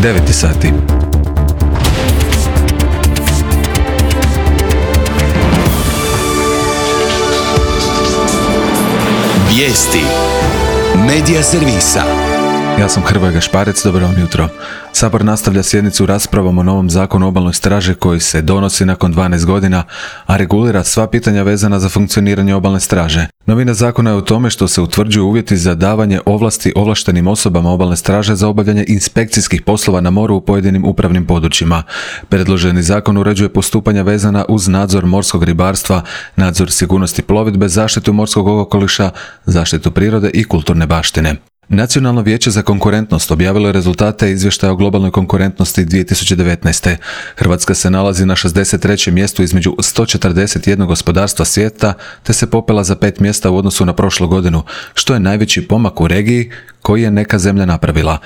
9 sati. Vijesti Medija servisa. Ja sam Hrvoje Gašparec, dobro vam jutro. Sabor nastavlja sjednicu raspravom o novom zakonu o obalnoj straži koji se donosi nakon 12 godina, a regulira sva pitanja vezana za funkcioniranje obalne straže. Novina zakona je u tome što se utvrđuju uvjeti za davanje ovlasti ovlaštenim osobama obalne straže za obavljanje inspekcijskih poslova na moru u pojedinim upravnim područjima. Predloženi zakon uređuje postupanja vezana uz nadzor morskog ribarstva, nadzor sigurnosti plovidbe, zaštitu morskog okoliša, zaštitu prirode i kulturne baštine. Nacionalno vijeće za konkurentnost objavilo je rezultate izvještaja o globalnoj konkurentnosti 2019. Hrvatska se nalazi na 63. mjestu između 141 gospodarstva svijeta, te se popela za 5 mjesta u odnosu na prošlu godinu, što je najveći pomak u regiji koji je neka zemlja napravila.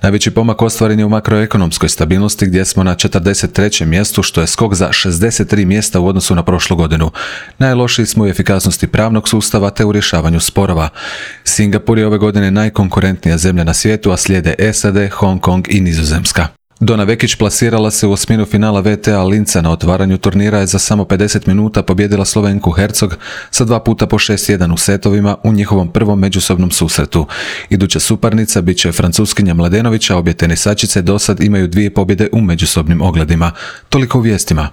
Najveći pomak ostvaren je u makroekonomskoj stabilnosti gdje smo na 43. mjestu, što je skok za 63 mjesta u odnosu na prošlu godinu. Najlošiji smo u efikasnosti pravnog sustava te u rješavanju sporova. Singapur je ove godine najkonkurentnija zemlja na svijetu, a slijede SAD, Hong Kong i Nizozemska. Dona Vekić plasirala se u osminu finala WTA Linca. Na otvaranju turnira je za samo 50 minuta pobijedila Slovenku Hercog sa 2 puta po 6-1 u setovima u njihovom prvom međusobnom susretu. Iduća suparnica bit će Francuskinja Mladenović, a obje tenisačice dosad imaju 2 pobjede u međusobnim ogledima. Toliko u vijestima.